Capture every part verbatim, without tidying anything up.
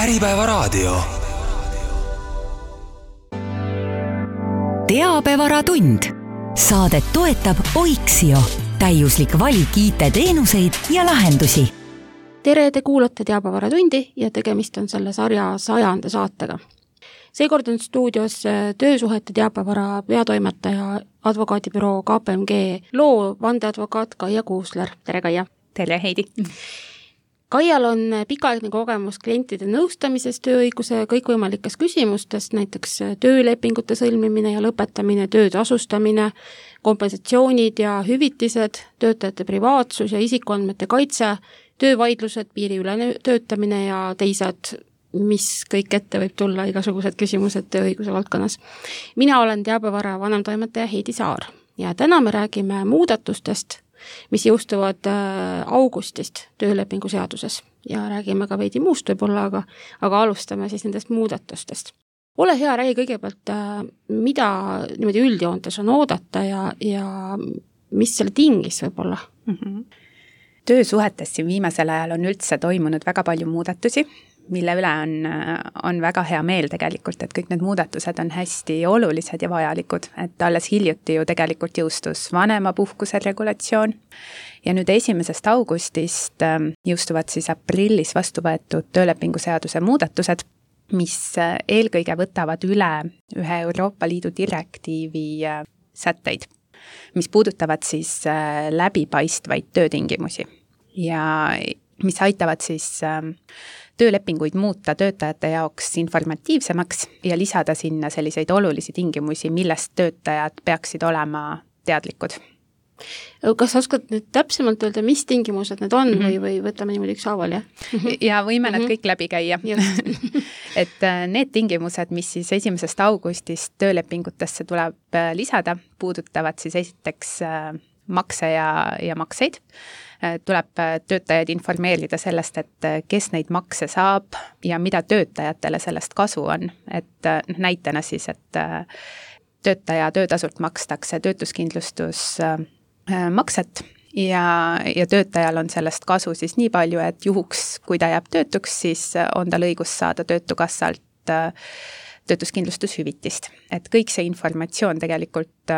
Äripäevaraadio. Teabevaratund. Saadet toetab Oiksio, täiuslik valik I T-teenuseid ja lahendusi. Tere, te kuulate Teabevaratundi ja tegemist on selle sarja sajanda saatega. Seekord on stuudios töösuhete teabevara peatoimetaja advokaadibüroo K P M G loo vandeadvokaat Kaia Kuusler. Tere, Kaia! Tere, Heidi! Kaial on pikaaegne kogemus klientide nõustamises tööõiguse kõikvõimalikes küsimustes, näiteks töölepingute sõlmimine ja lõpetamine, töö tasustamine, kompensatsioonid ja hüvitised, töötajate privaatsus ja isikuandmete kaitse, töövaidlused, piiriülene töötamine ja teised, mis kõik ette võib tulla, igasugused küsimused tööõiguse valdkonnas. Mina olen teabevara vanemtoimetaja Heidi Saar ja täna me räägime muudatustest, mis jõustuvad augustist töölepingu seaduses ja räägime ka veidi muust võib-olla, aga, aga alustame siis nendest muudatustest. Ole hea, räägi kõigepealt, mida niimoodi üldjoontes on oodata ja, ja mis selle tingis võib-olla? Mm-hmm. Töösuhetes siin viimasel ajal on üldse toimunud väga palju muudatusi, mille üle on, on väga hea meel tegelikult, et kõik need muudatused on hästi olulised ja vajalikud, et alles hiljuti ju tegelikult jõustus vanemapuhkuse regulatsioon ja nüüd esimesest augustist jõustuvad siis aprillis vastu võetud töölepingu seaduse muudatused, mis eelkõige võtavad üle ühe Euroopa Liidu direktiivi sätteid, mis puudutavad siis läbipaistvaid töötingimusi ja mis aitavad siis töölepinguid muuta töötajate jaoks informatiivsemaks ja lisada sinna selliseid olulisi tingimusi, millest töötajad peaksid olema teadlikud. Kas oskad nüüd täpsemalt öelda, mis tingimused need on mm-hmm. või, või võtame niimoodi üks haaval, jah? Ja võime mm-hmm. nad kõik läbi käia. Et need tingimused, mis siis esimesest augustist töölepingutesse tuleb lisada, puudutavad siis esiteks makse ja, ja makseid. Tuleb töötajaid informeerida sellest, et kes neid makse saab ja mida töötajatele sellest kasu on. Et näitena siis, et töötaja töötasult makstakse töötuskindlustus makset ja, ja töötajal on sellest kasu siis nii palju, et juhuks, kui ta jääb töötuks, siis on tal õigus saada töötukassalt töötuskindlustushüvitist. Et kõik see informatsioon tegelikult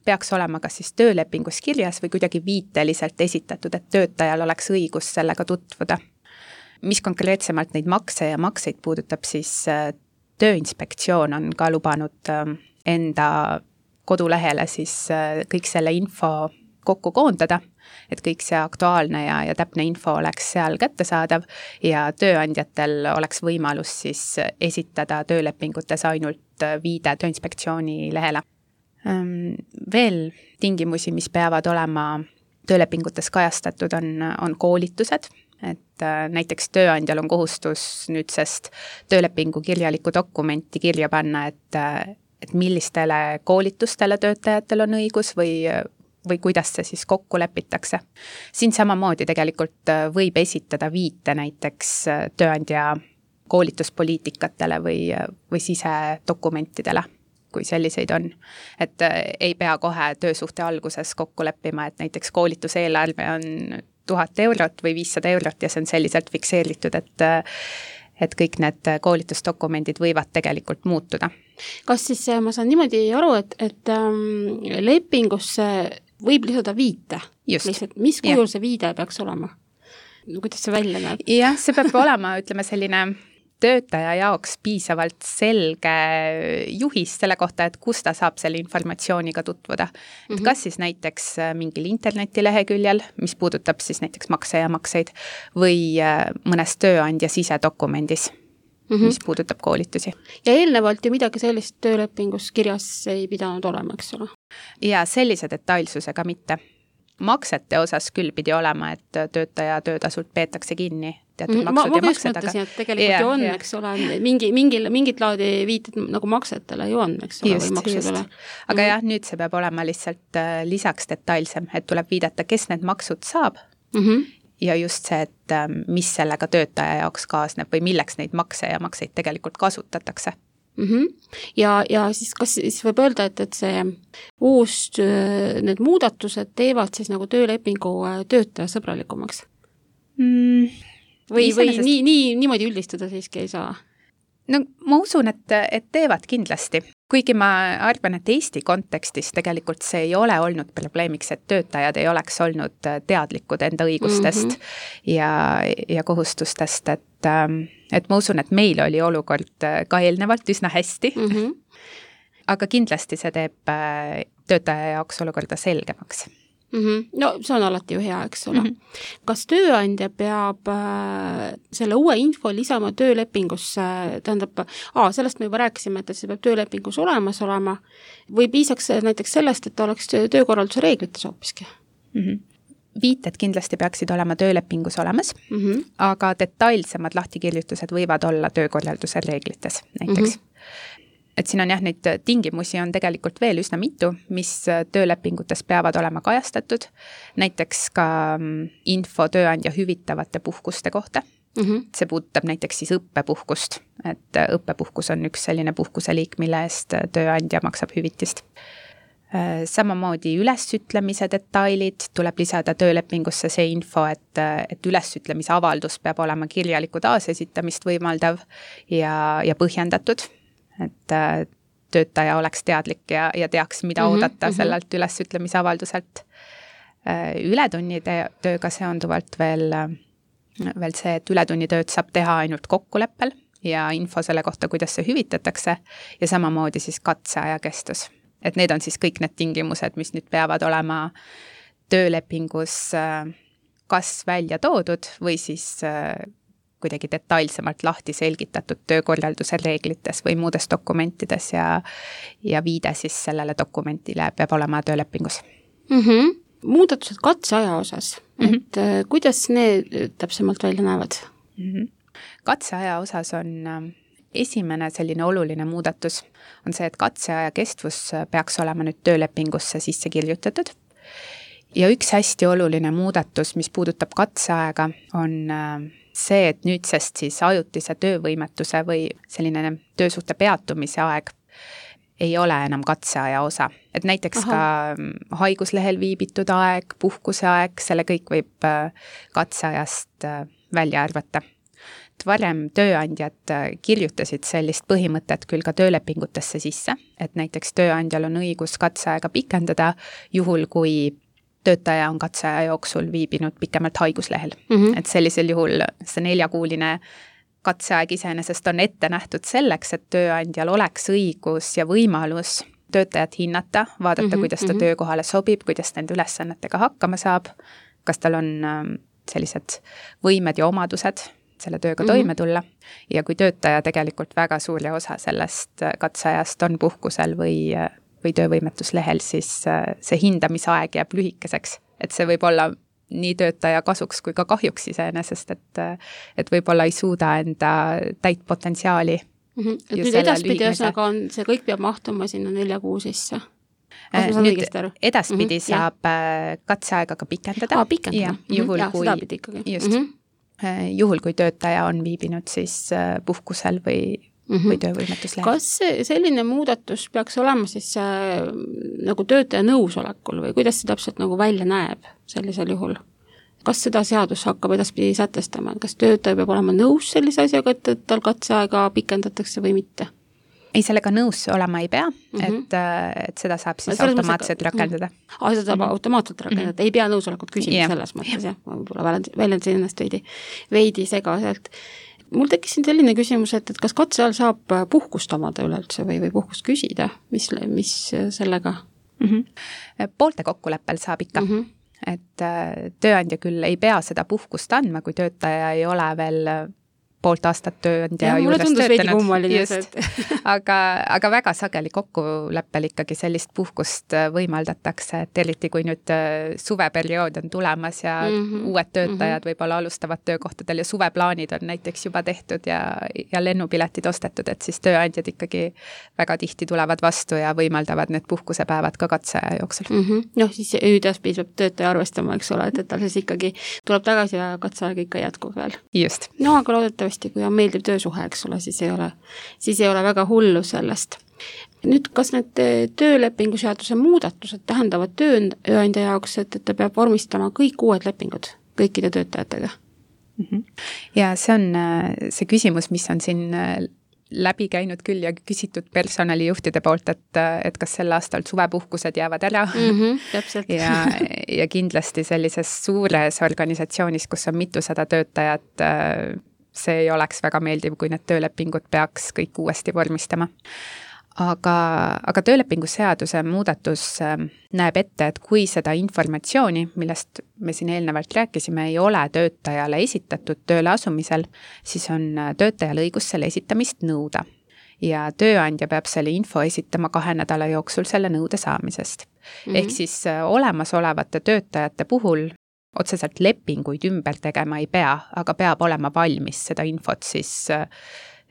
peaks olema kas siis töölepingus kirjas või kuidagi viiteliselt esitatud, et töötajal oleks õigus sellega tutvuda. Mis konkreetsemalt neid makse ja makseid puudutab, siis Tööinspektsioon on ka lubanud enda kodulehele siis kõik selle info kokku koondada, et kõik see aktuaalne ja, ja täpne info oleks seal kättesaadav ja tööandjatel oleks võimalus siis esitada töölepingutes ainult viide Tööinspektsiooni lehele. Veel tingimusi, mis peavad olema töölepingutes kajastatud, on, on koolitused, et näiteks tööandjal on kohustus nüüdsest töölepingu kirjaliku dokumenti kirja panna, et, et millistele koolitustele töötajatel on õigus või, või kuidas see siis kokku lepitakse. Siin samamoodi tegelikult võib esitada viite näiteks tööandja koolituspoliitikatele või, või sisedokumentidele, kui selliseid on. Et ei pea kohe töösuhte alguses kokku leppima, et näiteks koolituseelarve on tuhat eurot või viissada eurot ja see on selliselt fikseeritud, et, et kõik need koolitusdokumendid võivad tegelikult muutuda. Kas siis ma saan niimoodi aru, et, et ähm, lepingusse võib lisada viite? Lihtsalt, mis kujul ja. See viide peaks olema? Kuidas see välja näeb? Jah, see peab olema, ütleme selline töötaja jaoks piisavalt selge juhis selle kohta, et kus ta saab selle informatsiooniga tutvuda. Mm-hmm. Et kas siis näiteks mingil internetileheküljel, mis puudutab siis näiteks makse ja makseid, või mõnes tööandja sisedokumendis, mm-hmm. mis puudutab koolitusi. Ja eelnevalt ju midagi sellist töölepingus kirjas ei pidanud olema, eks ole? Ja sellise detailsusega mitte. Maksete osas küll pidi olema, et töötaja töötasult peetakse kinni teatud ma, maksud ma ja maksed. Ma mõtlesin, et tegelikult ja, ju on, ja. Eks ole, mingi, mingi, mingit laadi viited nagu maksetele ju on, eks ole, just, või maksudele. Aga mm-hmm. jah, nüüd see peab olema lihtsalt lisaks detailsem, et tuleb viidata, kes need maksud saab mm-hmm. ja just see, et mis sellega töötaja jaoks kaasneb või milleks neid makse ja makseid tegelikult kasutatakse. Mm-hmm. Ja, ja siis kas siis võib öelda, et, et see uus, need muudatused teevad siis nagu töölepingu töötaja sõbralikumaks? Mm, või, või nii, nii, niimoodi üldistada siiski ei saa? No ma usun, et, et teevad kindlasti. Kuigi ma arvan, et Eesti kontekstis tegelikult see ei ole olnud probleemiks, et töötajad ei oleks olnud teadlikud enda õigustest mm -hmm. ja, ja kohustustest, et, et ma usun, et meil oli olukord ka eelnevalt üsna hästi. Mm -hmm. Aga kindlasti see teeb töötaja jaoks olukorda selgemaks. Mm -hmm. No see on alati ju hea, eks ole. Mm -hmm. Kas tööandja peab äh, selle uue info lisama töölepingusse, tähendab, aa, sellest me juba rääkisime, et see peab töölepingus olemas olema, või piisaks näiteks sellest, et ta oleks töökorralduse reeglites hoopiski? Mm -hmm. Viited kindlasti peaksid olema töölepingus olemas, mm -hmm. aga detailsemad lahtikirjutused võivad olla töökorralduse reeglites näiteks. Mm -hmm. Et siin on jah, neid tingimusi on tegelikult veel üsna mitu, mis töölepingutes peavad olema kajastatud, näiteks ka info tööandja hüvitavate puhkuste kohta. Mm-hmm. See puudutab näiteks siis õppepuhkust, et õppepuhkus on üks selline puhkuseliik, mille eest tööandja maksab hüvitist. Samamoodi ülesütlemise detailid tuleb lisada töölepingusse see info, et, et ülesütlemise avaldus peab olema kirjaliku taasesitamist võimaldav ja, ja põhjendatud, et töötaja oleks teadlik ja, ja teaks, mida mm-hmm, oodata mm-hmm. sellelt ülesütlemise avalduselt. Ületunnide tööga seonduvalt veel, veel see, et ületunnitööd saab teha ainult kokkuleppel ja info selle kohta, kuidas see hüvitatakse ja samamoodi siis katseaja kestus. Et need on siis kõik need tingimused, mis nüüd peavad olema töölepingus kas välja toodud või siis kuidagi detailsemalt lahti selgitatud töökorralduse reeglites või muudes dokumentides ja, ja viide siis sellele dokumentile peab olema töölepingus. Mm-hmm. Muudatused katseaja osas, mm-hmm. et kuidas need täpsemalt välja näevad? Mm-hmm. Katseaja osas on esimene selline oluline muudatus on see, et katseaja kestvus peaks olema nüüd töölepingusse sisse kirjutatud. Ja üks hästi oluline muudatus, mis puudutab katseaega, on see, et nüüdsest siis ajutise töövõimetuse või selline töösuhte peatumise aeg ei ole enam katseaja osa. Et näiteks Aha. ka haiguslehel viibitud aeg, puhkuse aeg, selle kõik võib katseajast välja arvata. Varem tööandjad kirjutasid sellist põhimõtet küll ka töölepingutesse sisse, et näiteks tööandjal on õigus katseaega pikendada, juhul kui töötaja on katseaja jooksul viibinud pikemalt haiguslehel. Mm-hmm. Et sellisel juhul see neljakuuline katseaeg iseenesest on ette nähtud selleks, et tööandjal oleks õigus ja võimalus töötajat hinnata, vaadata, mm-hmm. kuidas ta mm-hmm. töökohale sobib, kuidas nende ülesannetega hakkama saab, kas tal on sellised võimed ja omadused selle tööga mm-hmm. toime tulla. Ja kui töötaja tegelikult väga suuri osa sellest katseajast on puhkusel või, või töövõimetuslehel, siis see hindamisaeg jääb lühikeseks. Et see võib olla nii töötaja kasuks kui ka kahjuks iseenesest, et, et võib-olla ei suuda enda täit potentsiaali. Mm-hmm. Et nüüd edaspidi ühesõnaga on, see kõik peab mahtuma sinna nelja kuu sisse. Nüüd edaspidi mm-hmm. saab ja. katseaega ka pikendada. Aa, pikendada. Ja, juhul, ja, kui, seda pidi ikkagi. Just. Mm-hmm. Juhul, kui töötaja on viibinud siis puhkusel või, mm-hmm. või töövõimetuslehel. Kas selline muudatus peaks olema siis äh, nagu töötaja nõusolekul või kuidas see täpselt nagu välja näeb sellisel juhul? Kas seda seadus hakkab edaspidi sätestama? Kas töötaja peab olema nõus sellise asjaga, et, et tal katseaega pikendatakse või mitte? Ei, sellega nõus olema ei pea, mm-hmm. et, et seda saab siis Selles automaatselt mõttes, rakendada. Ah, seda saab mm-hmm. automaatselt rakendada, mm-hmm. ei pea nõusolekut küsima yeah. selles mõttes, jah, ma võib-olla väljendasin ennast veidi, veidi segaselt. Mul tekkis siin selline küsimus, et, et kas katse ajal saab puhkust omada üleüldse või, või puhkust küsida, mis, mis sellega? Mm-hmm. Poolte kokkuleppel saab ikka, mm-hmm. et tööandja küll ei pea seda puhkust andma, kui töötaja ei ole veel poolt aastat tööandja juures töötanud. aga, aga väga sageli kokkuleppel ikkagi sellist puhkust võimaldatakse, et eriti kui nüüd suveperiood on tulemas ja mm-hmm. uued töötajad mm-hmm. võib-olla alustavad töökohtadel ja suveplaanid on näiteks juba tehtud ja, ja lennupiletid ostetud, et siis tööandjad ikkagi väga tihti tulevad vastu ja võimaldavad need puhkusepäevad ka katseaja jooksul. Mm-hmm. Noh, siis üdaspidi peab töötaja arvestama, eks ole, et, et tal siis ikkagi tuleb tagasi ja katseaeg ikka jätkub veel. Just. No, aga loodetavasti kui on meeldiv töösuhe, eks ole, siis ei ole, siis ei ole väga hullu sellest. Nüüd, kas need töölepingu seaduse muudatused tähendavad tööandja jaoks, et, et ta peab vormistama kõik uued lepingud kõikide töötajatega? Mm-hmm. Ja see on see küsimus, mis on siin läbi käinud küll ja küsitud personalijuhtide poolt, et, et kas sel aastal suvepuhkused jäävad ära. Mm-hmm, täpselt. ja, ja kindlasti sellises suures organisatsioonis, kus on mitusada töötajat, see ei oleks väga meeldiv, kui need töölepingud peaks kõik uuesti vormistama. Aga, aga töölepingu seaduse muudatus näeb ette, et kui seda informatsiooni, millest me siin eelnevalt rääkisime, ei ole töötajale esitatud tööle asumisel, siis on töötajal õigus selle esitamist nõuda. Ja tööandja peab selle info esitama kahe nädala jooksul selle nõude saamisest. Mm-hmm. Ehk siis olemasolevate töötajate puhul otseselt lepinguid ümber tegema ei pea, aga peab olema valmis seda infot siis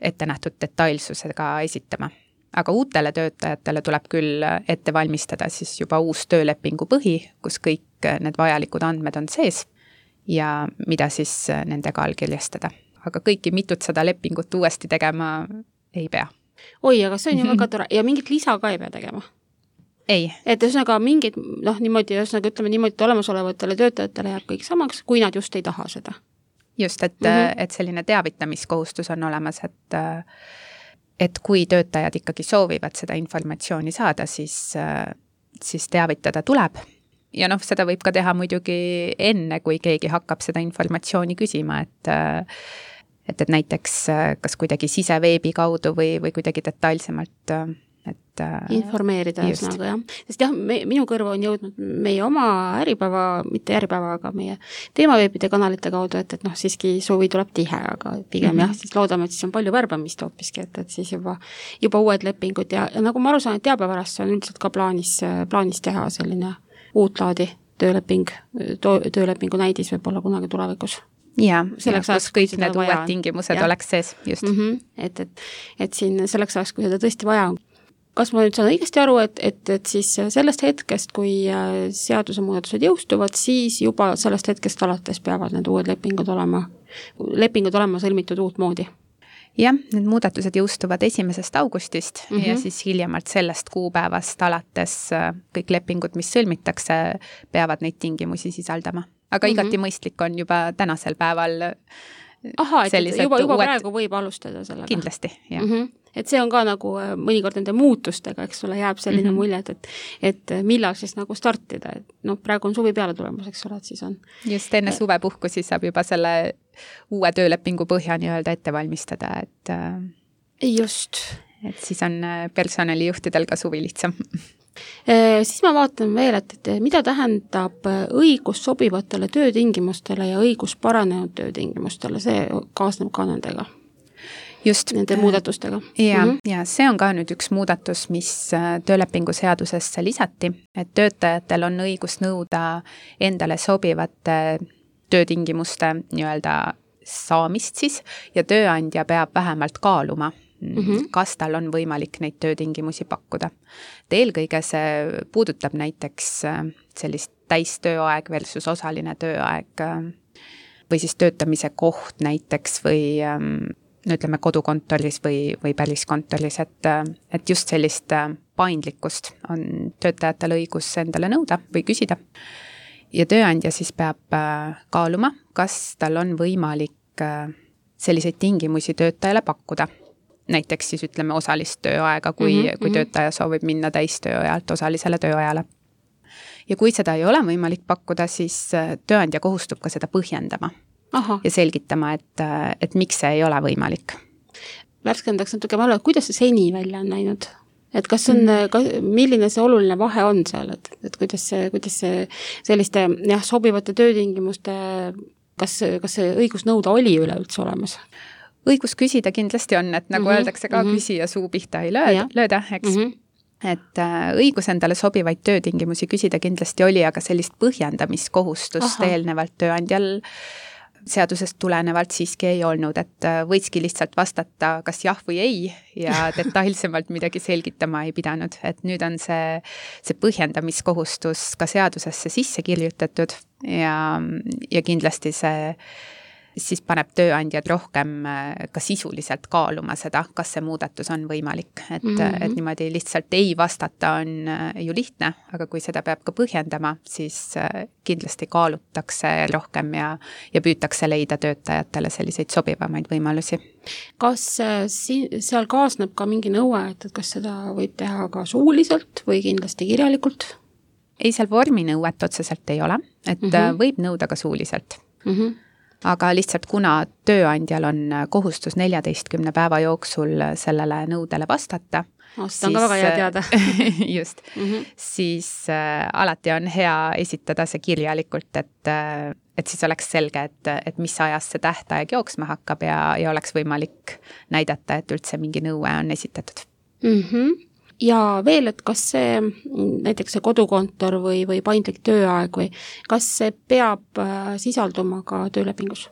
ette nähtud detailsusega esitama. Aga uutele töötajatele tuleb küll ette valmistada siis juba uus töölepingu põhi, kus kõik need vajalikud andmed on sees ja mida siis nendega allkirjastada. Aga kõiki mitutsada lepingut uuesti tegema ei pea. Oi, aga see on ju väga tore. Ja mingit lisa ka ei pea tegema? Ei. Et üsnaga mingid, noh, niimoodi, üsnaga ütleme niimoodi, et olemasolevatele töötajatele jääb kõik samaks, kui nad just ei taha seda. Just, et, mm-hmm. et selline teavitamiskohustus on olemas, et et kui töötajad ikkagi soovivad seda informatsiooni saada, siis, siis teavitada tuleb. Ja noh, seda võib ka teha muidugi enne, kui keegi hakkab seda informatsiooni küsima, et, et, et näiteks kas kuidagi siseveebi kaudu või, või kuidagi detailsemalt et informeerida üsnaga, jah. Sest jah, me, minu kõrvu on jõudnud meie oma äripäeva, mitte äripäeva, aga meie teemaveebide kanalite kaudu, et, et noh, siiski suvi tuleb tihe, aga pigem mm-hmm. jah, siis loodame, et siis on palju värbamist hoopiski, et, et siis juba, juba uued lepingud ja, ja nagu ma aru saan, et teabevarast on üldiselt ka plaanis, plaanis teha selline uut laadi tööleping, töölepingu näidis võib olla kunagi tulevikus. Ja, selleks ajaks, kõik need uued vaja. Tingimused ja. Oleks sees, just. Mm-hmm. Et, et, et siin selleks ajaks, kui seda tõesti vaja on. Kas ma nüüd saan õigesti aru, et, et, et siis sellest hetkest, kui seaduse muudatused jõustuvad, siis juba sellest hetkest alates peavad need uued lepingud olema, lepingud olema sõlmitud uut moodi? Jah, need muudatused jõustuvad esimesest augustist mm-hmm. ja siis hiljemalt sellest kuupäevast alates kõik lepingud, mis sõlmitakse, peavad neid tingimusi sisaldama. Aga mm-hmm. igati mõistlik on juba tänasel päeval Aha, et juba, juba uued... praegu võib alustada sellega. Kindlasti, jah. Mm-hmm. Et see on ka nagu mõnikord nende muutustega, eks ole, jääb selline mm-hmm. mulje, et, et millal siis nagu startida. Et noh, praegu on suvi peale tulemus, eks ole, et siis on. Just enne suvepuhku siis saab juba selle uue töölepingu põhja nii-öelda ette valmistada, et just. Et siis on personalijuhtidel ka suvi lihtsam. E, siis ma vaatan veel, et, et mida tähendab õigus sobivatele töötingimustele ja õigus paranenud töötingimustele, see kaasneb ka nendega. Just. Nende muudatustega. Ja, mm-hmm. ja see on ka nüüd üks muudatus, mis töölepingu seadusesse lisati, et töötajatel on õigus nõuda endale sobivate töötingimuste nii-öelda saamist siis ja tööandja peab vähemalt kaaluma, mm-hmm. kas tal on võimalik neid töötingimusi pakkuda. Eelkõige see puudutab näiteks sellist täistööaeg versus osaline tööaeg või siis töötamise koht näiteks või no ütleme kodukontoris või, või päriskontoris, et, et just sellist paindlikkust on töötajatel õigus endale nõuda või küsida. Ja tööandja siis peab kaaluma, kas tal on võimalik selliseid tingimusi töötajale pakkuda. Näiteks siis ütleme osalist tööaega, kui, mm-hmm, kui töötaja soovib minna täistööajalt osalisele tööajale. Ja kui seda ei ole võimalik pakkuda, siis tööandja kohustub ka seda põhjendama. Aha. Ja selgitama, et, et miks see ei ole võimalik. Värskendaks natuke valve, kuidas see seni välja on näinud? Et kas on, mm. milline see oluline vahe on seal, et, et kuidas see, kuidas see selliste jah, sobivate töötingimuste, kas, kas see õigus nõuda oli üleüldse olemas? Õigus küsida kindlasti on, et nagu mm-hmm, öeldakse ka mm-hmm. küsija suu pihta ei lööda, lööda eks. Mm-hmm. Et õigus endale sobivaid töötingimusi küsida kindlasti oli, aga sellist põhjendamiskohustust Aha. eelnevalt tööandjal seadusest tulenevalt siiski ei olnud, et võikski lihtsalt vastata kas jah või ei ja detailsemalt midagi selgitama ei pidanud. Et nüüd on see, see põhjendamiskohustus ka seadusesse sisse kirjutatud ja, ja kindlasti see siis paneb tööandjad rohkem ka sisuliselt kaaluma seda, kas see muudatus on võimalik. Et, mm-hmm. et niimoodi lihtsalt ei vastata on ju lihtne, aga kui seda peab ka põhjendama, siis kindlasti kaalutakse rohkem ja, ja püütakse leida töötajatele selliseid sobivamaid võimalusi. Kas siin, seal kaasneb ka mingi nõue, et kas seda võib teha ka suuliselt või kindlasti kirjalikult? Ei, seal vorminõuet otseselt ei ole, et mm-hmm. võib nõuda ka suuliselt. Mm-hmm. Aga lihtsalt kuna tööandjal on kohustus neljateistkümne päeva jooksul sellele nõudele vastata, oh, seda on ka väga hea teada. just, mm-hmm. siis äh, alati on hea esitada see kirjalikult, et, äh, et siis oleks selge, et, et mis ajas see tähtaeg jooksma hakkab ja, ja oleks võimalik näidata, et üldse mingi nõue on esitatud. Mm-hmm. Ja veel, et kas see, näiteks see kodukontor või, või paindlik tööaeg või kas see peab sisalduma ka töölepingus,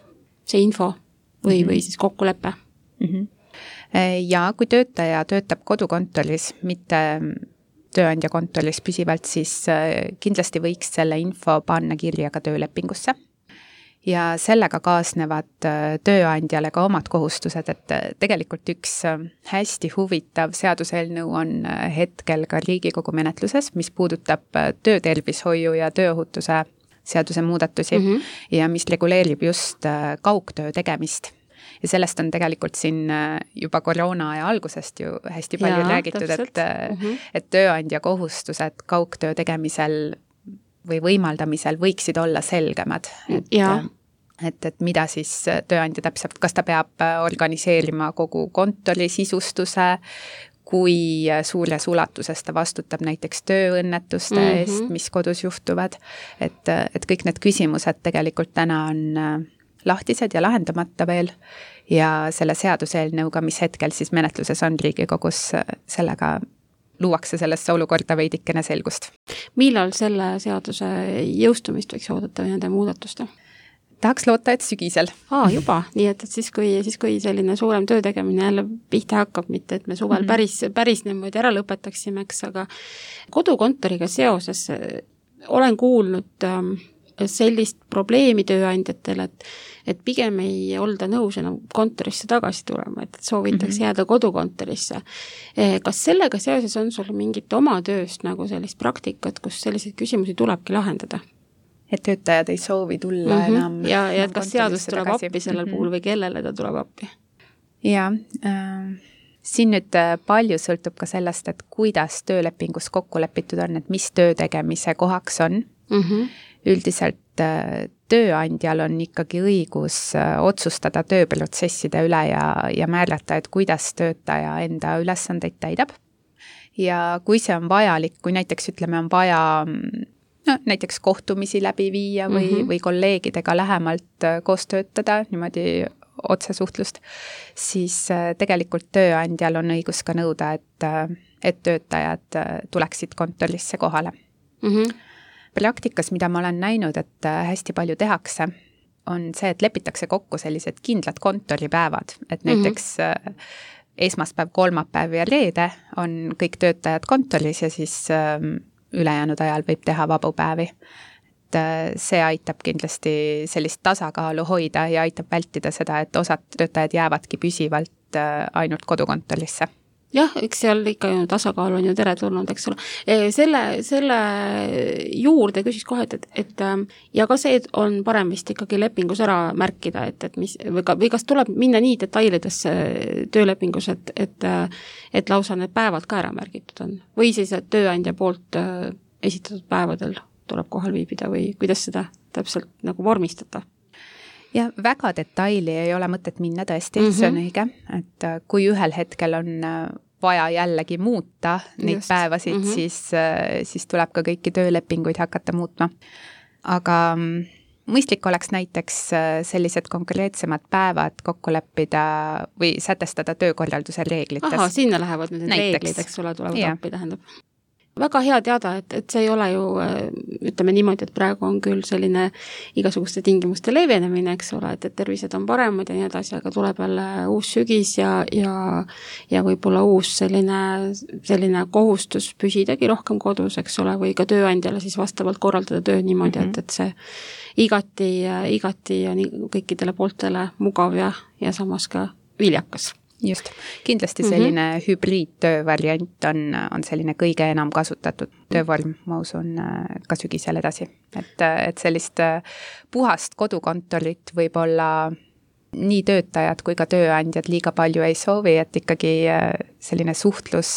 see info või, mm-hmm. või siis kokkulepe? Mm-hmm. Ja kui töötaja töötab kodukontoris, mitte tööandja kontoris püsivalt, siis kindlasti võiks selle info panna kirja ka töölepingusse. Ja sellega kaasnevad tööandjale ka omad kohustused, et tegelikult üks hästi huvitav seaduseelnõu on hetkel ka Riigikogu menetluses, mis puudutab töötervishoiu ja tööohutuse seaduse muudatusi mm-hmm. ja mis reguleerib just kaugtöö tegemist. Ja sellest on tegelikult siin juba koroona aja algusest ju hästi palju ja, räägitud, et, mm-hmm. et tööandja kohustused kaugtöö tegemisel või võimaldamisel võiksid olla selgemad. Et, et, et mida siis tööandja täpselt, kas ta peab organiseerima kogu kontori sisustuse, kui suures ulatuses ta vastutab näiteks tööõnnetuste mm-hmm. eest, mis kodus juhtuvad. Et, et kõik need küsimused tegelikult täna on lahtised ja lahendamata veel ja selle seaduseelnõuga, mis hetkel siis menetluses on Riigikogus, sellega luuakse sellesse olukorda veidikene selgust. Millal selle seaduse jõustumist võiks oodata või nende muudatuste? Tahaks loota, et sügisel. Aa, juba, nii et, et siis, kui, siis kui selline suurem töö tegemine jälle pihta hakkab, mitte et me suvel mm-hmm. päris, päris niimoodi ära lõpetaksime, eks, aga kodukontoriga seoses olen kuulnud ähm, sellist probleemi tööandjatele, et, et pigem ei olda nõus enam kontorisse tagasi tulema, et soovitakse mm-hmm. jääda kodukontorisse. Kas sellega seoses on sul mingit oma tööst nagu sellist praktikat, kus selliseid küsimusi tulebki lahendada? Et töötajad ei soovi tulla mm-hmm. enam. Ja, ja et kas seadus tuleb tagasi. Appi sellel mm-hmm. puhul või kellele ta tuleb appi? Ja, äh, siin nüüd palju sõltub ka sellest, et kuidas töölepingus kokku lepitud on, et mis töö tegemise kohaks on. Mm-hmm. Üldiselt tööandjal on ikkagi õigus otsustada tööprotsesside üle ja, ja määrata, et kuidas töötaja enda ülesandeid täidab. Ja kui see on vajalik, kui näiteks ütleme on vaja no, näiteks kohtumisi läbi viia või, mm-hmm. või kolleegidega lähemalt koos töötada, niimoodi otsesuhtlust, siis tegelikult tööandjal on õigus ka nõuda, et, et töötajad tuleksid kontorisse kohale. Mm-hmm. Praktikas, mida ma olen näinud, et hästi palju tehakse, on see, et lepitakse kokku sellised kindlad kontoripäevad, et näiteks mm-hmm. esmaspäev, kolmapäev ja reede on kõik töötajad kontoris ja siis ülejäänud ajal võib teha vabu päevi. Et see aitab kindlasti sellist tasakaalu hoida ja aitab vältida seda, et osad töötajad jäävadki püsivalt ainult kodukontorisse. Jah, eks seal ikka ju tasakaal on ju teretulnud, eks ole. Selle, selle juurde küsis kohe, et, et ja ka see on parem vist ikkagi lepingus ära märkida, et, et mis, või, ka, või kas tuleb minna nii detailidesse töölepingus, et, et, et lausa need päevad ka ära märgitud on? Või siis, et tööandja poolt esitatud päevadel tuleb kohal viibida või kuidas seda täpselt nagu vormistada? Ja väga detaili ei ole mõtet minna tõesti, mm-hmm. see on õige, et kui ühel hetkel on vaja jällegi muuta neid Just. päevasid, mm-hmm. siis, siis tuleb ka kõiki töölepinguid hakata muutma. Aga mõistlik oleks näiteks sellised konkreetsemad päevad kokku leppida või sätestada töökorralduse reeglites. Aha, sinna lähevad need näiteks. Reeglid, eks ole, tulevad ja. Appi, tähendab. väga hea teada, et, et see ei ole ju, ütleme niimoodi, et praegu on küll selline igasuguste tingimuste leevenemine, eks ole, et, et tervised on paremad ja nii edasi, aga tuleb jälle uus sügis ja, ja, ja võib-olla uus selline, selline kohustus püsidagi rohkem kodus, eks ole, või ka tööandjale siis vastavalt korraldada töö niimoodi, mm-hmm. et, et see igati, igati ja nii kõikidele pooltele mugav ja, ja samas ka viljakas. Just, kindlasti selline mm-hmm. hübriidtöö variant on, on selline kõige enam kasutatud töövorm, ma usun, ka sügisel edasi. Et, et sellist puhast kodukontorit võib-olla nii töötajad kui ka tööandjad liiga palju ei soovi, et ikkagi selline suhtlus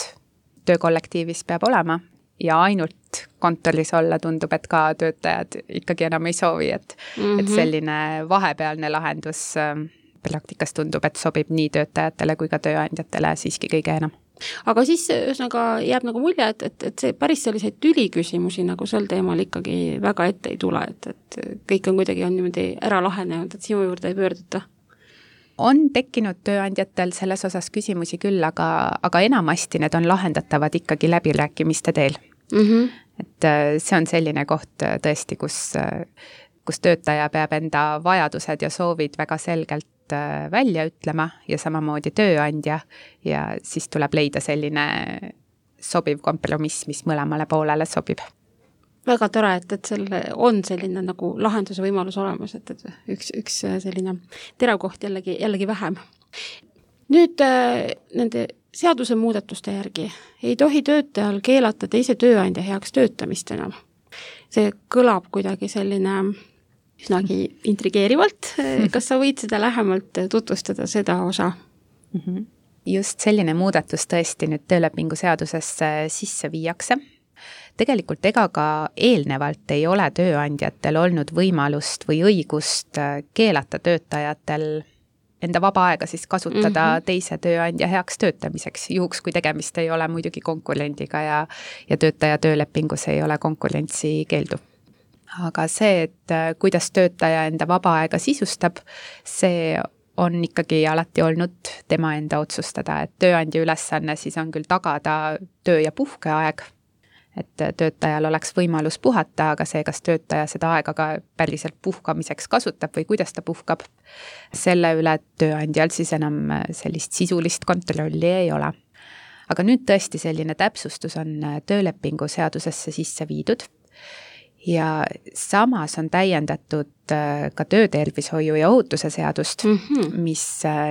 töökollektiivis peab olema ja ainult kontoris olla tundub, et ka töötajad ikkagi enam ei soovi, et, mm-hmm. et selline vahepealne lahendus praktikas tundub, et sobib nii töötajatele kui ka tööandjatele siiski kõige enam. Aga siis ühesõnaga jääb nagu mulje, et, et, et see päris selliseid tüliküsimusi nagu sel teemal ikkagi väga ette ei tule, et, et kõik on kuidagi on niimoodi ära lahenenud, et sinu juurde ei pöörduta? On tekkinud tööandjatel selles osas küsimusi küll, aga, aga enamasti need on lahendatavad ikkagi läbirääkimiste teel. Mm-hmm. Et see on selline koht tõesti, kus, kus töötaja peab enda vajadused ja soovid väga selgelt välja ütlema ja samamoodi tööandja ja siis tuleb leida selline sobiv kompromiss, mis mõlemale poolele sobib. Väga tore, et, et selle on selline nagu lahenduse võimalus olemas, et, et üks, üks selline teravkoht jällegi, jällegi vähem. Nüüd nende seaduse muudatuste järgi ei tohi töötajal keelata teise tööandja heaks töötamist enam. See kõlab kuidagi selline üsnagi intrigeerivalt. Kas sa võid seda lähemalt tutvustada, seda osa? Mm-hmm. Just selline muudatus tõesti nüüd töölepingu seadusesse sisse viiakse. Tegelikult ega ka eelnevalt ei ole tööandjatel olnud võimalust või õigust keelata töötajatel enda vaba aega siis kasutada mm-hmm. teise tööandja heaks töötamiseks, juhuks kui tegemist ei ole muidugi konkurendiga ja, ja töötaja töölepingus ei ole konkurentsi keeldu. Aga see, et kuidas töötaja enda vaba aega sisustab, see on ikkagi alati olnud tema enda otsustada, et tööandja ülesanne siis on küll tagada töö- ja puhkeaeg, et töötajal oleks võimalus puhata, aga see, kas töötaja seda aega ka päriselt puhkamiseks kasutab või kuidas ta puhkab, selle üle tööandjal siis enam sellist sisulist kontrolli ei ole. Aga nüüd tõesti selline täpsustus on töölepingu seadusesse sisse viidud, ja samas on täiendatud ka töötervishoiu ja ohutuse seadust, mm-hmm. mis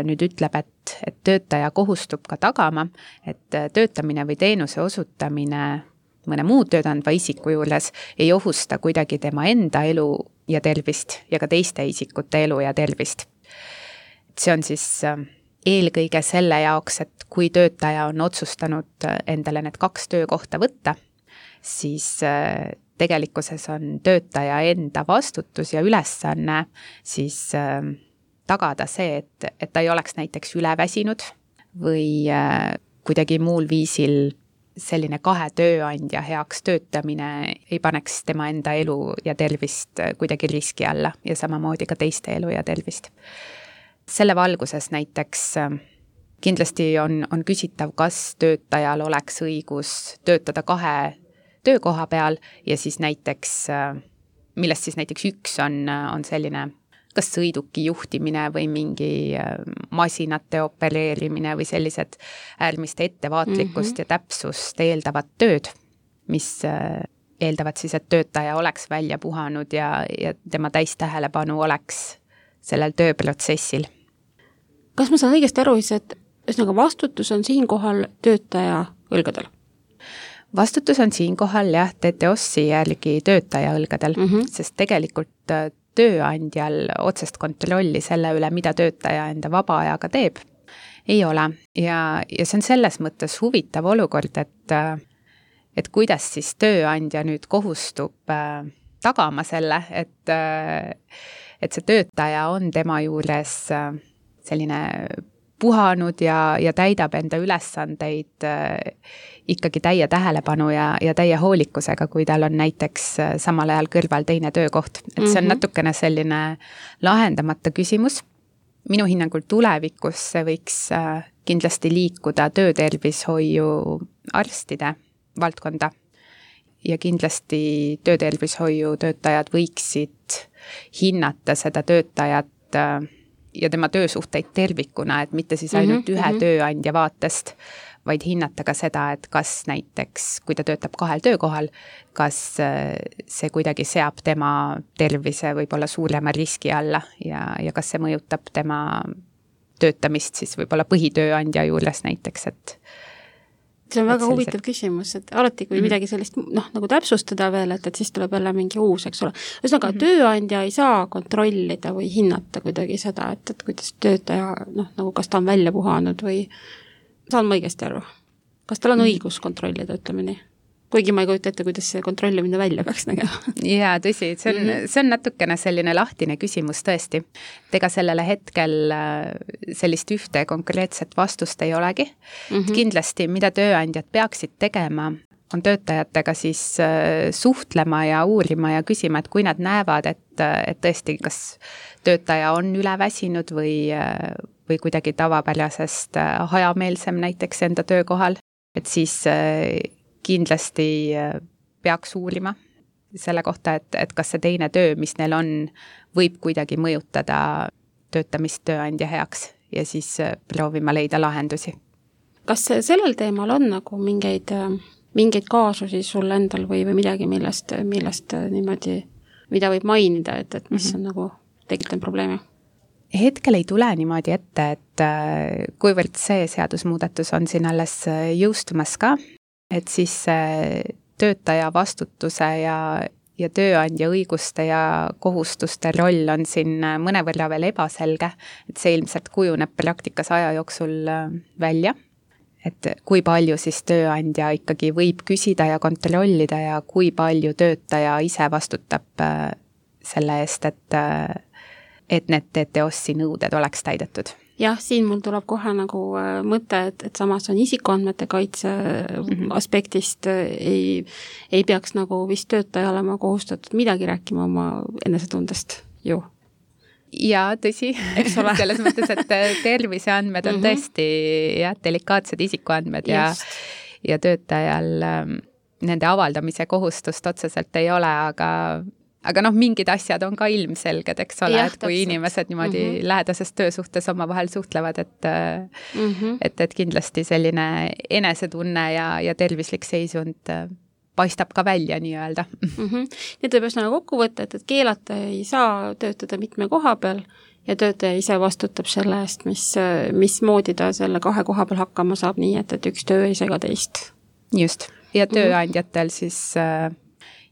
nüüd ütleb, et, et töötaja kohustub ka tagama, et töötamine või teenuse osutamine mõne muu töötandva isiku juures ei ohusta kuidagi tema enda elu ja tervist ja ka teiste isikute elu ja tervist. See on siis eelkõige selle jaoks, et kui töötaja on otsustanud endale need kaks töökohta võtta, siis tegelikkuses on töötaja enda vastutus ja ülesanne siis äh, tagada see, et, et ta ei oleks näiteks üleväsinud või äh, kuidagi muul viisil selline kahe tööandja heaks töötamine ei paneks tema enda elu ja tervist kuidagi riski alla ja samamoodi ka teiste elu ja tervist. Selle valguses näiteks äh, kindlasti on, on küsitav, kas töötajal oleks õigus töötada kahe töökoha peal ja siis näiteks, millest siis näiteks üks on, on selline kas sõiduki juhtimine või mingi masinate opereerimine või sellised äärmist ettevaatlikkust mm-hmm. ja täpsust eeldavad tööd, mis eeldavad siis, et töötaja oleks välja puhanud ja, ja tema täistähelepanu oleks sellel tööprotsessil. Kas ma saan õigesti aru, et ühesõnaga vastutus on siinkohal töötaja õlgadel? Vastutus on siinkohal jah, T T O S-i järgi töötaja õlgadel, mm-hmm. sest tegelikult tööandjal otsest kontrolli selle üle, mida töötaja enda vaba ajaga teeb, ei ole. Ja, ja see on selles mõttes huvitav olukord, et, et kuidas siis tööandja nüüd kohustub tagama selle, et, et see töötaja on tema juures selline puhanud ja, ja täidab enda ülesandeid äh, ikkagi täie tähelepanu ja, ja täie hoolikusega, kui tal on näiteks äh, samal ajal kõrval teine töökoht. Et see on natukene selline lahendamata küsimus. Minu hinnangul tulevikus see võiks äh, kindlasti liikuda töötervishoiu arstide valdkonda, ja kindlasti töötervishoiu töötajad võiksid hinnata seda töötajat ja tema töösuhteid tervikuna, et mitte siis ainult mm-hmm. ühe tööandja vaatest, vaid hinnata ka seda, et kas näiteks, kui ta töötab kahel töökohal, kas see kuidagi seab tema tervise võib-olla suurema riski alla ja, ja kas see mõjutab tema töötamist siis võib-olla põhitööandja juures näiteks, et see on väga sellised... huvitav küsimus, et alati, kui mm-hmm. midagi sellist noh, nagu täpsustada veel, et, et siis tuleb jälle mingi uus, eks ole. Ühesõnaga, mm-hmm. tööandja ei saa kontrollida või hinnata kuidagi seda, et, et kuidas töötaja, noh, nagu kas ta on välja puhanud või saan ma õigesti aru? Kas tal on mm-hmm. õigus kontrollida, ütleme nii? Kuigi ma ei kujuta ette, kuidas see kontrollimine välja peaks nägema. Jaa, tõsi, see on, see on natukene selline lahtine küsimus tõesti. Ega sellele hetkel sellist ühte konkreetset vastust ei olegi. Mm-hmm. Kindlasti, mida tööandjad peaksid tegema, on töötajatega siis suhtlema ja uurima ja küsima, et kui nad näevad, et, et tõesti, kas töötaja on üleväsinud või, või kuidagi tavapärasest hajameelsem näiteks enda töökohal, et siis kindlasti peaks uurima selle kohta, et, et kas see teine töö, mis neil on, võib kuidagi mõjutada töötamist tööandja heaks ja siis proovima leida lahendusi. Kas sellel teemal on nagu mingeid, mingeid kaasusi sul endal või, või midagi, millest, millest niimoodi, mida võib mainida, et, et mis mm-hmm. on nagu tekitanud probleemi? Hetkel ei tule niimoodi ette, et kuivõrd see seadusmuudatus on siin alles jõustumas ka, et siis töötaja vastutuse ja, ja tööandja õiguste ja kohustuste roll on siin mõnevõrra veel ebaselge, et see ilmselt kujuneb praktikas aja jooksul välja, et kui palju siis tööandja ikkagi võib küsida ja kontrollida ja kui palju töötaja ise vastutab selle eest, et, et need T T O S-i nõuded oleks täidetud. Jah, siin mul tuleb kohe nagu mõte, et, et samas on isikuandmete kaitse mm-hmm. aspektist ei, ei peaks nagu vist töötaja olema kohustatud midagi rääkima oma enesetundest ju. Jaa, tõsi, selles mõttes, et terviseandmed on mm-hmm. tõesti jah, delikaatsed isikuandmed ja, ja töötajal nende avaldamise kohustust otseselt ei ole, aga Aga noh, mingid asjad on ka ilmselged, eks ole, et kui täpselt. Inimesed niimoodi mm-hmm. lähedases töösuhtes oma vahel suhtlevad, et, mm-hmm. et, et kindlasti selline enesetunne ja, ja tervislik seisund paistab ka välja nii-öelda. Mm-hmm. Nii tuleb just nagu kokku võtta, et, et keelata ei saa töötada mitme koha peal ja töötaja ise vastutab selle eest, mis, mis moodi ta selle kahe koha peal hakkama saab nii, et, et üks töö ei sega teist. Just, ja tööandjatel mm-hmm. siis äh,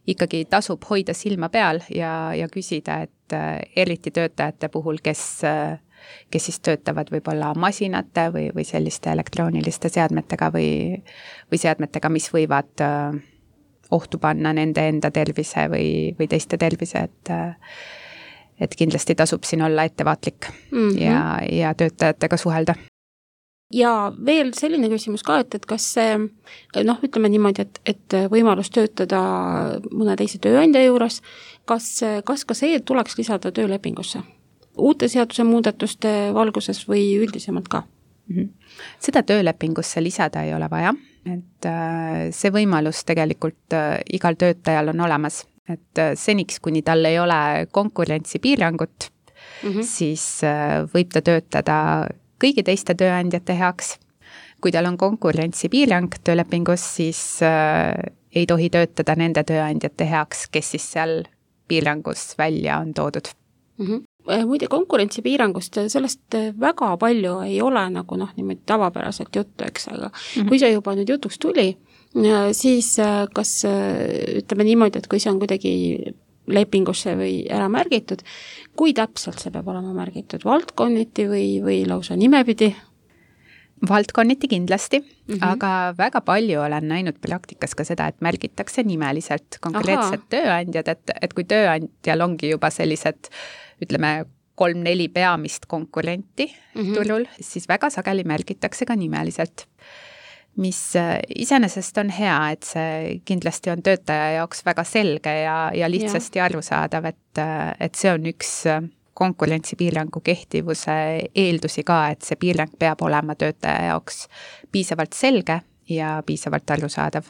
ikkagi tasub hoida silma peal ja, ja küsida, et äh, eriti töötajate puhul, kes, äh, kes siis töötavad võib-olla masinate või, või selliste elektrooniliste seadmetega või, või seadmetega, mis võivad äh, ohtu panna nende enda tervise või, või teiste tervise, et, äh, et kindlasti tasub siin olla ettevaatlik mm-hmm. ja, ja töötajatega suhelda. Ja veel selline küsimus ka, et, et kas see, noh, ütleme niimoodi, et, et võimalus töötada mõne teise tööandja juures, kas, kas ka see tuleks lisada töölepingusse? Uute seaduse muudatuste valguses või üldisemalt ka? Mm-hmm. Seda töölepingusse lisada ei ole vaja, et äh, see võimalus tegelikult äh, igal töötajal on olemas, et äh, seniks, kuni tal ei ole konkurentsipiirangut, mm-hmm. siis äh, võib ta töötada kõigi teiste tööandjate heaks. Kui tal on konkurentsipiirang töölepingus, siis äh, ei tohi töötada nende tööandjate heaks, kes siis seal piirangus välja on toodud. Mm-hmm. Muide, konkurentsipiirangust sellest väga palju ei ole nagu noh, niimoodi tavapäraselt juttu, eks, aga mm-hmm. kui see juba nüüd jutuks tuli, siis kas ütleme niimoodi, et kui see on kuidagi lepingusse või ära märgitud, kui täpselt see peab olema märgitud, valdkonniti või, või lausa nimepidi? Valdkonniti kindlasti, mm-hmm. aga väga palju olen näinud praktikas ka seda, et märgitakse nimeliselt konkreetsed Aha. tööandjad, et, et kui tööandjal ongi juba sellised, ütleme, kolm-neli peamist konkurenti mm-hmm. turul, siis väga sageli märgitakse ka nimeliselt. Mis iseenesest on hea, et see kindlasti on töötaja jaoks väga selge ja, ja lihtsasti ja. arusaadav, et, et see on üks konkurentsipiirangu kehtivuse eeldusi ka, et see piirang peab olema töötaja jaoks piisavalt selge ja piisavalt arusaadav.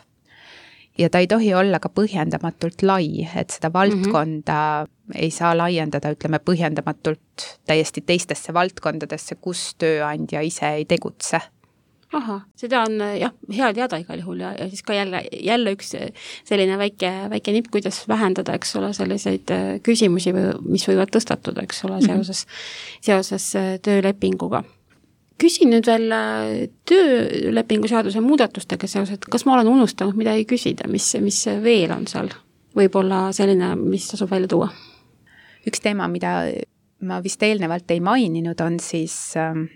ja ta ei tohi olla ka põhjendamatult lai, et seda valdkonda mm-hmm. ei saa laiendada, ütleme, põhjendamatult täiesti teistesse valdkondadesse, kus tööandja ise ei tegutse. Aha, seda on jah, hea teada igal juhul ja, ja siis ka jälle, jälle üks selline väike, väike nipp, kuidas vähendada, eks ole, selliseid küsimusi, mis võivad tõstatuda, eks ole, seoses, seoses töölepinguga. Küsin nüüd veel töölepingu seaduse muudatustega seoses, et kas ma olen unustanud midagi küsida, mis, mis veel on seal? Võib-olla selline, mis tasub välja tuua? Üks teema, mida ma vist eelnevalt ei maininud, on siis äh,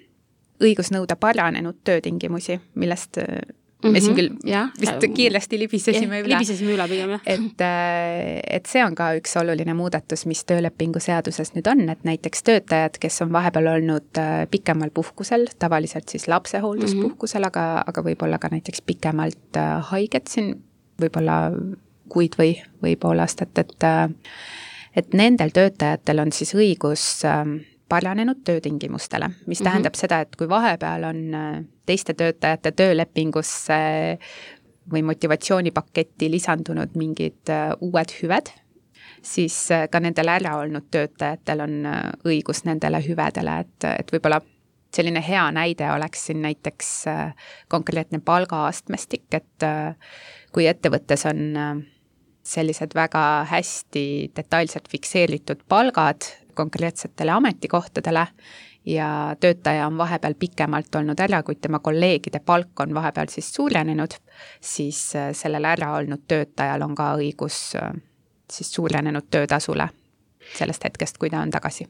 õigus nõuda paranenud töötingimusi, millest mm-hmm. me siin küll ja, vist kiiresti libisesime ja, üle. Libisesime üle pigem, jah. Et, et see on ka üks oluline muudatus, mis töölepingu seaduses nüüd on, et näiteks töötajad, kes on vahepeal olnud pikemal puhkusel, tavaliselt siis lapsehoolduspuhkusel, mm-hmm. aga, aga võib-olla ka näiteks pikemalt haiget siin, võib-olla kuid või, või pool aastat, et, et nendel töötajatel on siis õigus paranenud töötingimustele, mis tähendab mm-hmm. seda, et kui vahepeal on teiste töötajate töölepingusse või motivatsioonipaketti lisandunud mingid uued hüved, siis ka nendel ära olnud töötajatel on õigus nendele hüvedele, et, et võib-olla selline hea näide oleks siin näiteks konkreetne palgaastmestik, et kui ettevõttes on sellised väga hästi detailselt fikseeritud palgad konkreetsetele ametikohtadele ja töötaja on vahepeal pikemalt olnud ära, kui tema kolleegide palk on vahepeal siis suurenenud, siis sellel ära olnud töötajal on ka õigus siis suurenenud töötasule sellest hetkest, kui ta on tagasi.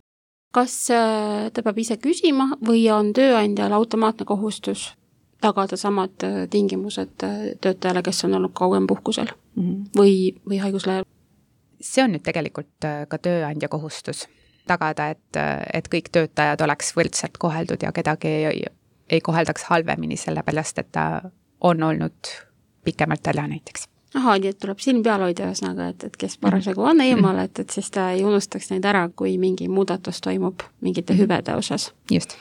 Kas ta peab ise küsima või on tööandjal automaatne kohustus tagada samad tingimused töötajale, kes on olnud kauem puhkusel mm-hmm. või, või haiguslehel? See on nüüd tegelikult ka tööandja kohustus tagada, et, et kõik töötajad oleks võrdselt koheldud ja kedagi ei, ei koheldaks halvemini, sellepärast, et ta on olnud pikemalt ära näiteks. Aha, nii et tuleb silm peal hoida ühesõnaga, et, et kes parasjagu on eemal, et, et siis ta ei unustaks neid ära, kui mingi muudatus toimub mingite hüvede osas. Just.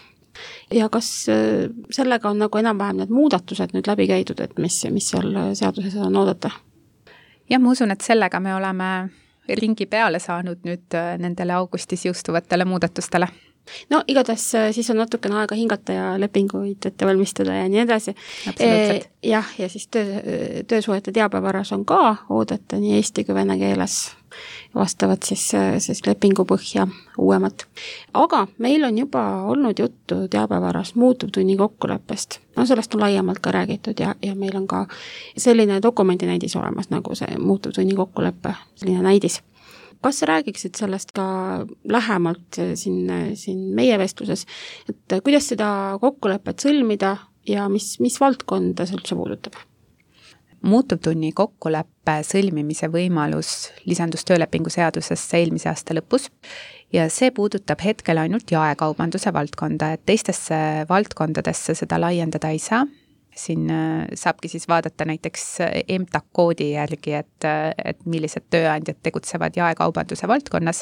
Ja kas sellega on nagu enam-vähem need muudatused nüüd läbi käidud, et mis, mis seal seaduses on oodata? Ja ma usun, et sellega me oleme ringi peale saanud nüüd nendele augustis jõustuvatele muudatustele. No igatahes siis on natukene aega hingata ja lepinguid ette valmistada ja nii edasi. Absoluutselt. E, jah, ja siis töö, töösuhete teabevaras on ka oodata nii eesti kui vene keeles vastavad siis, siis lepingu põhja uuemat. Aga meil on juba olnud juttu teabevaras muutuvtunni kokkuleppest. No sellest on laiemalt ka räägitud ja, ja meil on ka selline dokumendi näidis olemas, nagu see muutuvtunni kokkuleppe, selline näidis. Kas sa räägiksid sellest ka lähemalt siin, siin meie vestluses, et kuidas seda kokkulepet sõlmida ja mis, mis valdkonda see üldse puudutab? Muutuvtunni kokkuleppe sõlmimise võimalus lisandus töölepingu seadusesse eelmise aasta lõpus ja see puudutab hetkel ainult jaekaubanduse valdkonda, et teistesse valdkondadesse seda laiendada ei saa. Siin saabki siis vaadata näiteks M T A K-koodi järgi, et, et millised tööandjad tegutsevad jaekaubanduse valdkonnas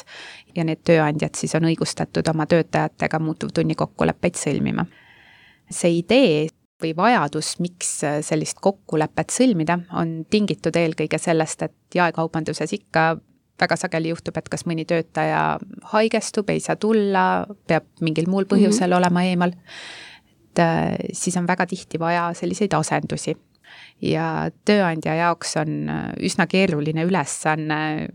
ja need tööandjad siis on õigustatud oma töötajatega muutuvtunni kokkuleppeid sõlmima. See idee või vajadus, miks sellist kokkulepet sõlmida, on tingitud eelkõige sellest, et jaekaubanduses ikka väga sageli juhtub, et kas mõni töötaja haigestub, ei saa tulla, peab mingil muul põhjusel mm-hmm. olema eemal, et siis on väga tihti vaja selliseid asendusi. Ja tööandja jaoks on üsna keeruline ülesanne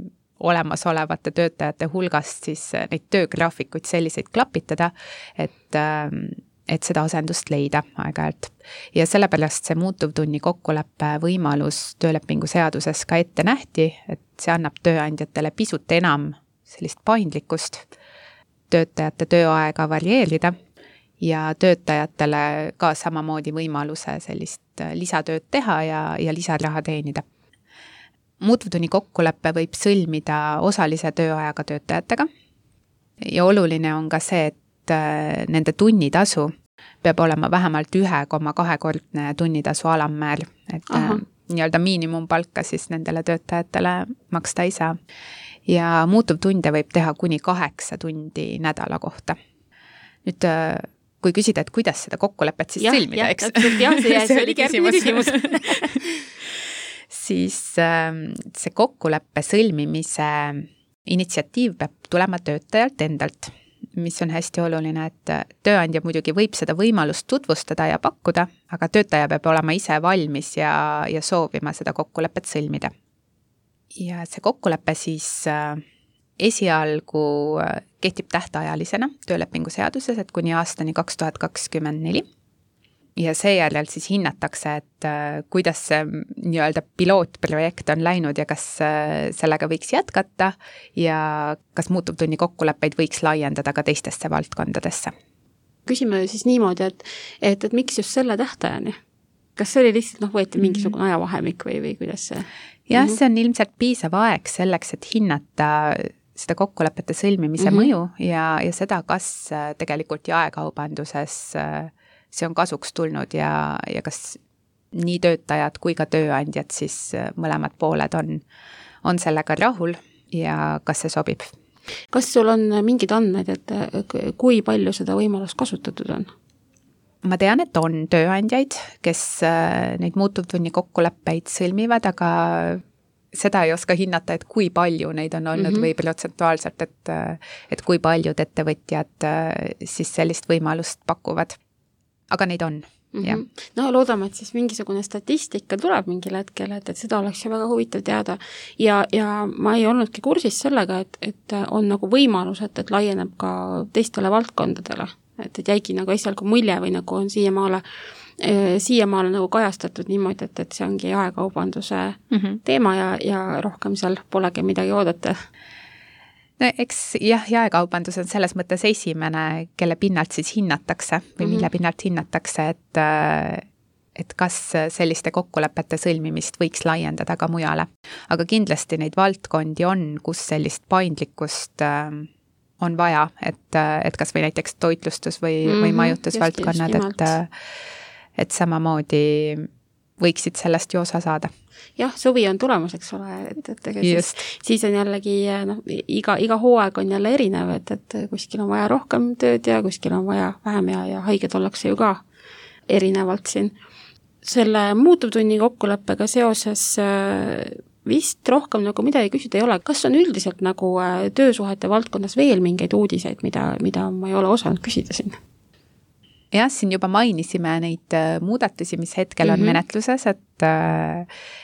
olemasolevate töötajate hulgast siis neid töögraafikuid selliseid klapitada, et et seda asendust leida aeg-ajalt. Ja sellepärast see muutuvtunni kokkuleppe võimalus töölepingu seaduses ka ette nähti, et see annab tööandjatele pisut enam sellist paindlikkust, töötajate tööaega varieerida ja töötajatele ka samamoodi võimaluse sellist lisatööd teha ja, ja lisaraha teenida. Muutuvtunni kokkuleppe võib sõlmida osalise tööajaga töötajatega ja oluline on ka see, et nende tunnitasu peab olema vähemalt ühe koma kahe kordne tunnitasu alammäär, et Aha. nii-öelda miinimumpalka siis nendele töötajatele maksta ei saa. Ja muutuvtunde võib teha kuni kaheksa tundi nädala kohta. Nüüd, kui küsida, et kuidas seda kokkulepet siis ja, sõlmida, eks? Täpselt, jah, see, see oli järgmine küsimus. siis see kokkuleppe sõlmimise initsiatiiv peab tulema töötajalt endalt, mis on hästi oluline, et tööandja muidugi võib seda võimalust tutvustada ja pakkuda, aga töötaja peab olema ise valmis ja, ja soovima seda kokkulepet sõlmida. Ja see kokkulepe siis esialgu kehtib tähtajalisena töölepingu seaduses, et kuni aastani kaks tuhat kakskümmend neli. Ja seejärel siis hinnatakse, et kuidas see nii-öelda pilootprojekt on läinud ja kas sellega võiks jätkata ja kas muutuvtunni kokkuleppeid võiks laiendada ka teistesse valdkondadesse. Küsime siis niimoodi, et, et, et miks just selle tähtajani? Kas see oli lihtsalt, noh, võeti mingisugune ajavahemik või, või kuidas see? Jah, see on ilmselt piisav aeg selleks, et hinnata seda kokkulepete sõlmimise mm-hmm. mõju ja, ja seda, kas tegelikult jaekaubanduses see on kasuks tulnud ja, ja kas nii töötajad kui ka tööandjad siis mõlemad pooled on, on sellega rahul ja kas see sobib. Kas sul on mingid andmed, et kui palju seda võimalust kasutatud on? Ma tean, et on tööandjaid, kes neid muutuvtunni kokkuleppeid sõlmivad, aga seda ei oska hinnata, et kui palju neid on olnud mm-hmm. või protsentuaalselt, et, et kui paljud ettevõtjad siis sellist võimalust pakuvad. Aga neid on, mm-hmm. jah. No loodame, et siis mingisugune statistika tuleb mingil hetkel, et, et seda oleks ju väga huvitav teada. Ja, ja ma ei olnudki kursis sellega, et, et on nagu võimalus, et, et laieneb ka teistele valdkondadele. Et, et jäigi nagu esialgu mulje või nagu on siiamaale, eh, siiamaale nagu kajastatud niimoodi, et, et see ongi jaekaubanduse mm-hmm. teema ja, ja rohkem seal polegi midagi oodata. No eks jah, jaekaubandus on selles mõttes esimene, kelle pinnalt siis hinnatakse või mille mm-hmm. pinnalt hinnatakse, et, et kas selliste kokkulepete sõlmimist võiks laiendada ka mujale. Aga kindlasti neid valdkondi on, kus sellist paindlikkust on vaja, et, et kas või näiteks toitlustus või, mm-hmm. või majutusvaldkonnad, et, et samamoodi võiksid sellest ju osa saada. Jah, suvi on tulemas, eks ole, et, et siis, siis on jällegi, noh, iga, iga hooaeg on jälle erinev, et, et kuskil on vaja rohkem tööd ja kuskil on vaja vähem ja, ja haiged ollakse ju ka erinevalt siin. Selle muutuvtunni kokkuleppega seoses vist rohkem nagu midagi küsida ei ole. Kas on üldiselt nagu töösuhete valdkonnas veel mingeid uudiseid, mida, mida ma ei ole osanud küsida siin? Jah, siin juba mainisime neid muudatusi, mis hetkel on mm-hmm. menetluses, et,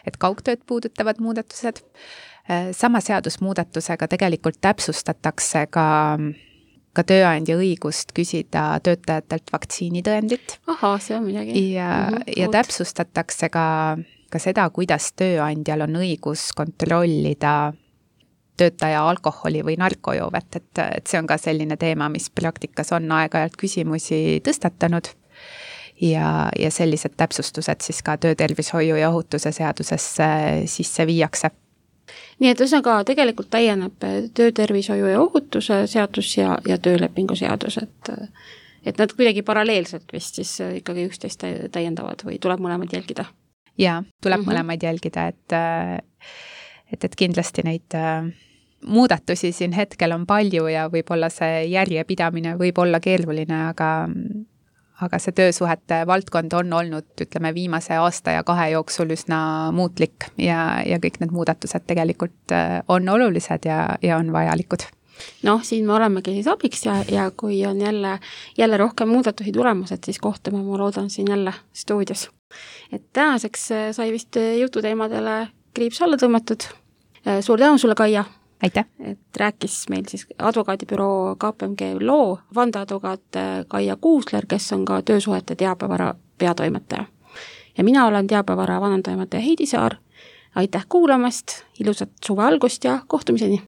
et kaugtööd puudutavad muudatused. Sama seadusmuudatusega tegelikult täpsustatakse ka, ka tööandja õigust küsida töötajatelt vaktsiinitõendit. Aha, see on midagi. Ja, mm-hmm. ja täpsustatakse ka, ka seda, kuidas tööandjal on õigus kontrollida töötaja alkoholi või narkojoovet, et, et see on ka selline teema, mis praktikas on aeg-ajalt küsimusi tõstatanud ja, ja sellised täpsustused siis ka töötervishoiu ja ohutuse seadusesse sisse viiakse. Nii et üsnaga tegelikult täieneb töötervishoiu ja ohutuse seadus ja, ja töölepingu seadus, et, et nad kuidagi paralleelselt vist siis ikkagi üksteist täiendavad või tuleb mõlemad jälgida? Jaa, tuleb mm-hmm. mõlemad jälgida, et, et, et kindlasti neid muudatusi siin hetkel on palju ja võib-olla see järjepidamine võib olla keeruline, aga, aga see töösuhete valdkond on olnud, ütleme, viimase aasta ja kahe jooksul üsna muutlik ja, ja kõik need muudatused tegelikult on olulised ja, ja on vajalikud. Noh, siin me olemegi siis abiks ja, ja kui on jälle, jälle rohkem muudatusi tulemas, et siis kohtume, ma loodan siin jälle stuudios. Et tänaseks sai vist jututeemadele kriips alla tõmmatud. Suur tänu sulle, Kaia! Aitäh! Et rääkis meil siis advokaadibüroo K P M G loo vandeadvokaat Kaia Kuusler, kes on ka töösuhete teabevara peatoimetaja. Ja mina olen teabevara vanantoimetaja Heidi Saar. Aitäh kuulamast, ilusat suve algust ja kohtumiseni!